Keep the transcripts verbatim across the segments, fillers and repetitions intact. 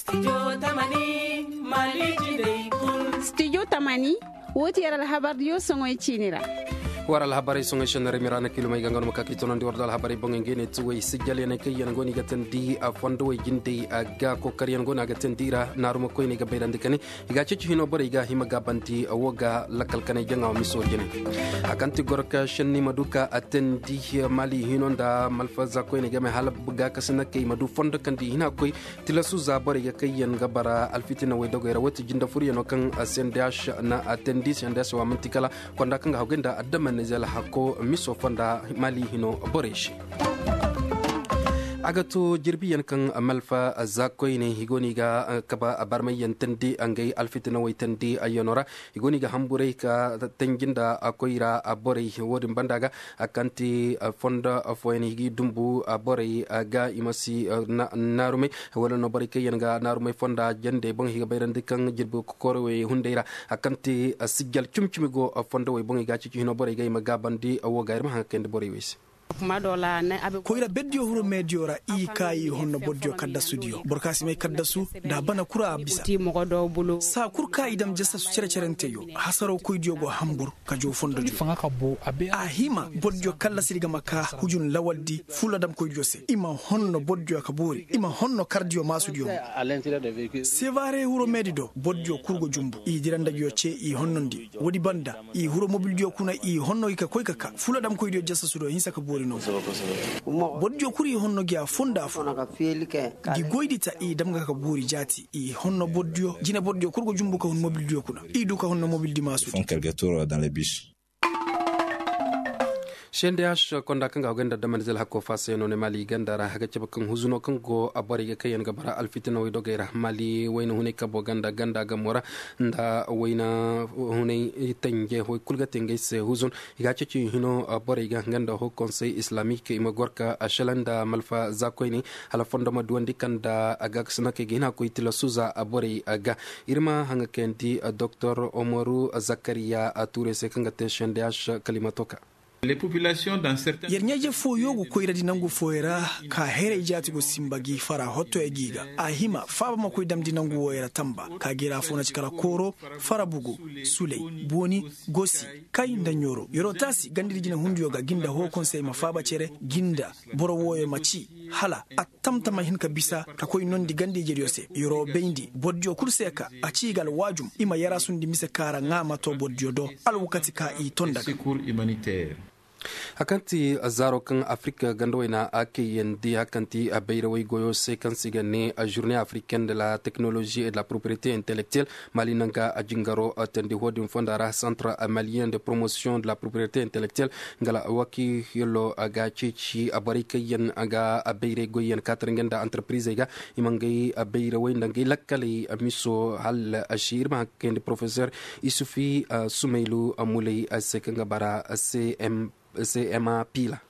Studio tamani, woo ti yer alhabardiyo soŋoy ciini ra. War alhabarey soŋoy senna ra mira na kilomey ga nga no ma ka k'i tonandi war da alhabarey boŋey ngey ne tuwey sijjalyaney kaŋ yaŋ go no i ga teendi a fondowey jindey a ga kookaryaŋ go no a ga teendi i ra naaruma koyney ga bayrandi ka ne i ga a ceeci hino borey ga hima gaabandi woo ga lakkal kanay jaŋa wo miso jine. A kaŋ ti goro ka senni ma du ka a teendi mali hino nda malfaza koyney game hala gaakasi na kay ma du fondo kaŋ di hina koy. Tilasu za borey ga kayyaŋ ga bara alfitina way dogey ra woo ti jinde furyaŋo kaŋ cndh na a teendi cndh wa man'ti kala konda kaŋ ga haggay nda adama nizel hakko miso fonda mali hino borey se. A ga to jirbiyaŋ kaŋ malfa za koyne i go no i ga kaba barmayyaŋ teendi ngey alfitina way teendi ayyaŋo ra. I go no i ga hamburay ka tanji nda koyra borey wo-din banda ga. Kaŋ ti fondo fooyaŋ i g'i dumbu borey ga i ma si naarumey wala no borey kaŋ yaŋ ga naarumey fonda jandey boŋ i ga bayrandi kaŋ jirbi kokoorey wey hunday ra. Kaŋ ti sijjal cimi-cimi go fondo wey boŋ i ga a ceeci hino borey ga i ma gaabandi wo ga ir ma haŋ ga kayandi borey wey se. Koyra berdiyo huru meediyo ra i ka i honno bordiyo kaddasudiyo boro ka si may kaddasu nda a bana kura a bisa. Saa kul ka i dam jasasu cere-cerenteyo hasaroo koydiyo go hambur ka joo fondodiyo. A hima bordiyo kallasidi ga ma ka hujun lawaldi fuladamkoydiyo se i ma honno bordiyo ka boori i ma honno kardiyo maasudiyo mo. Sevare huro meedi do bordiyo kul go jumbu i dira nda nguyo cee i honnondi. Woodi banda i huro mobildiyo kuna i honno i ka koy ka ka fuladamkoydiyo jasasudiyo hinsa ka boori no. Bordiyo kul i honno gi a fo nda a fo. Gi goydi ta i dam ga ka boori jaati i honno bordiyo jine bordiyo kul go jumbu ka hun mobildiyo kuna. I du ka honno mobildi maasudiyo. Fonkerge turo dans le bis. Sendeyas konda kaŋ ga a goy nda damanizel hakko faasayano ne maali ganda ra a ga cabe kaŋ huzuno kaŋ go a borey ga kaŋ yaŋ ga bara alfitinawey dogey ra maali wayna hunay kabo ganda ganda gamo ra nda wayna hunay tanje way kul ga te ngey se huzun. I ga a ceeci hino borey ga nga nda ho konsey islamik i ma gor ka a shala nda malfa za koyne hala fondo ma duwandi kaŋ nda a ga ga sinakey ga hin a koy tilasu za a borey ga. Ir ma haŋa kayandi doktor omaru zakariya a tuurey se kaŋ ga te sendeyas kalimato ka. Yer ɲaaje fooyo go koyradi nangu fooyo ra ka heray jaati go simba gi fara hottoya gi ga a hima faaba ma koy damndi nangu wooyo ra tamba ka gi ra foo na ci kala kooro fara bugu suley booni gosi kay nda ɲooro yer'o taasi gandadi jinehundiyo ga gi nda hoo konsey ma faaba cere gi nda boro wooyo ma ci hala a tamtama hin ka bisa ka koy nondi ganda-ijediyo se yer'o bayndi bordiyo kul se ka a ci i ga alwaajum i ma yaraasundi mise ka ra ŋaa ma too bordiyo do alwakati ka i to nda ga. A kaŋ ti zaaro kaŋ afirik ganda wayna a kayandi a kaŋ ti bayrawey goyo se kaŋ se i ga ne journée africaine de la technologie et de la propriété intellectuelle. Mali naŋ ga a jingaro teendi ho-din fonda ra centre malien de promotion de la propriété intellectuelle nga la wakiilo ga ceeci borey kaŋ yaŋ ga bayray goyyaŋ kaatir nga nda entreprisey ga i ma ngay bayrawey nda ngay lakkaley miso hala a si ir ma haŋ ka kayandi porofesor isufi sumaylu muley se kaŋ ga bara cma piila.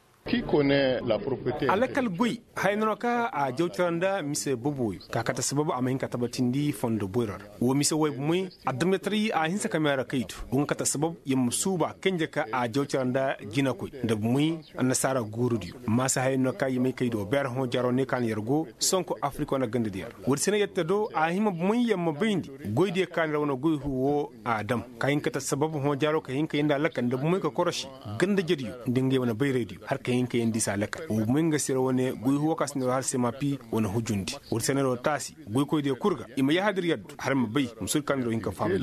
A lakkal goy haya no ka a jaw cara nda mise boboyo ka kate sabab a ma hin ka tabatindi fondo boyro ra wo mise way bomey adamjataray a hinsa ka meera kay do wo nga kate sabab yer ma suuba kanje ka a jaw cara nda jinakoy nda bomey annasaara guurudiyo. Maasa haya no ka yer may kay do beer hõ jaro ne ka na yer go sonko afirika wane gandadiyo ra woodi se no yer te do a hima bomey yer ma bayndi goydiyo ka na yer wane goy huu wo a dam ka hin ka te sabab hõ jaro ka hin ka yeendi a lakkal nda bomey ka korosi ganda jediyo nda ngey wane bayraydiyo hala ka hin ka yeendi i se a lakkal wo bomey nga se yer wane goy huu wo ka se no yer har semapi wane hujundi woodi se no yer wo taasi goykoydiyo kul ga i ma yahadi yer yaddu hala ma bay ma suudi ka no yer wo hin ka fahamay.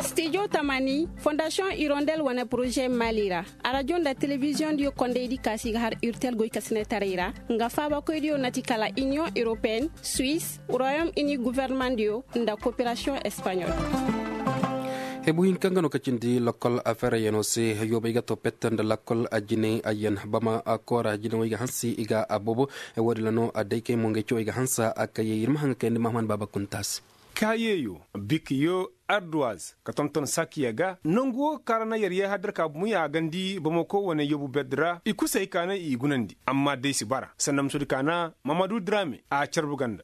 Studio tamani fondasiyoŋ irondel wane poroze mali ra arajo nda telebiziyoŋdiyo kondaydi ka se i ga har irtel goykasinetaray ra nga faabakoydiyo na ti kala iniyoŋ europeyenne suwis royaume uni gofornemandiyo nda koperasiyoŋ espaɲol. Hebu hinka nga no ka cindi lakkol afereyaŋo se yoobay ga to pette nda lakkol ajinay ayyan bama koora jinawey ga hansi i ga a boobo. Woodin ra no a day kay mo ngey cawey ga hansa a kayey ir ma haŋ ga kayandi mahaman baaba kunta se. Kaayeyo bikiyo arduwaz ka tonton sakiya ga nangu wo kaŋ ra na yer yee haddar ka bumiya a gandi bamako wane yobu berdi ra i kulu se hay ka naŋ i gunandi amma day si bara sanda musudi ka naŋ mamadu drame a carbu ganda.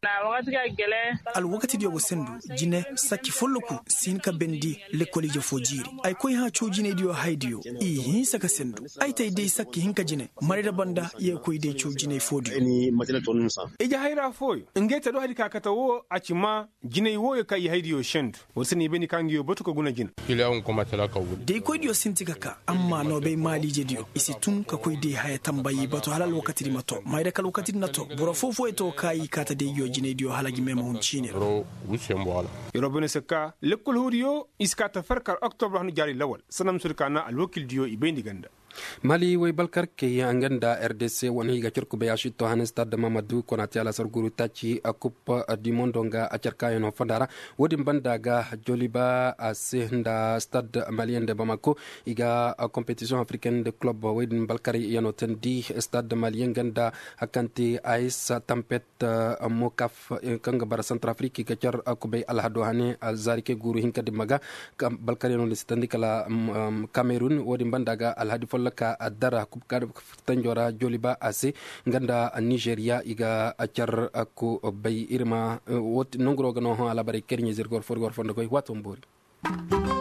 Alwakatidiyo ga sendu jine sakki folloku si hin ka bendi lekkol ije fo jiiri ay koy hã coo jinaydiyo haydiyo i hinsa ka sendu ay tay day sakki hinka jine marayra banda ye ga koy day coo jinay foodiyo. Ije hayra fooyo ngey te do hari ka kate wo a ci ma jinay wooyo kaŋ i haydiyo sendu wala se no i bay ni ka nga yo batu ka guna jina. Da i koydiyo sinti ka ka amma no bay maaliijediyo i si tun ka koy day haya tambayi batu hala alwakatidi ma to mayra ka alwakatidi na to boro foo-fooyo to ka i kaata day yo jinaydiyo hala gi meema hun ciine ra. Yeroo bay no se ka lekkol huudiyo i si kaata farkar oktobra hanu jaari lawal sanda ma sodi ka na alwakildiyo i bay ni ganda. Mali woy balkarkey nga nda r d c wane i ga car kubay a si to han stad mamadu konate alasar guru taaci a kup dimondo nga a car kaayano fonda ra. Wo-din banda ga joliba a se nda stad maliyen de bamako i ga kompetisiyoŋ afrikaine de kulob wo-din balkarey yano tandi stad maliyen nga nda hakante a isa tampet mokaf kaŋ ga bara santar afiriki ga car kubay alhado hane zaarikey guuru hinka dimma ga. Balkaryaŋo din si tandi kala kamerun wo-din banda ga alhadi folloka dara kubka tanjo ra joliba a se nga nda nizeriya i ga car kubay ir ma nonguro ga no hõ alaabarey kaŋ ir ɲa zirga war fo ir ga war fondo goy waato ma boori.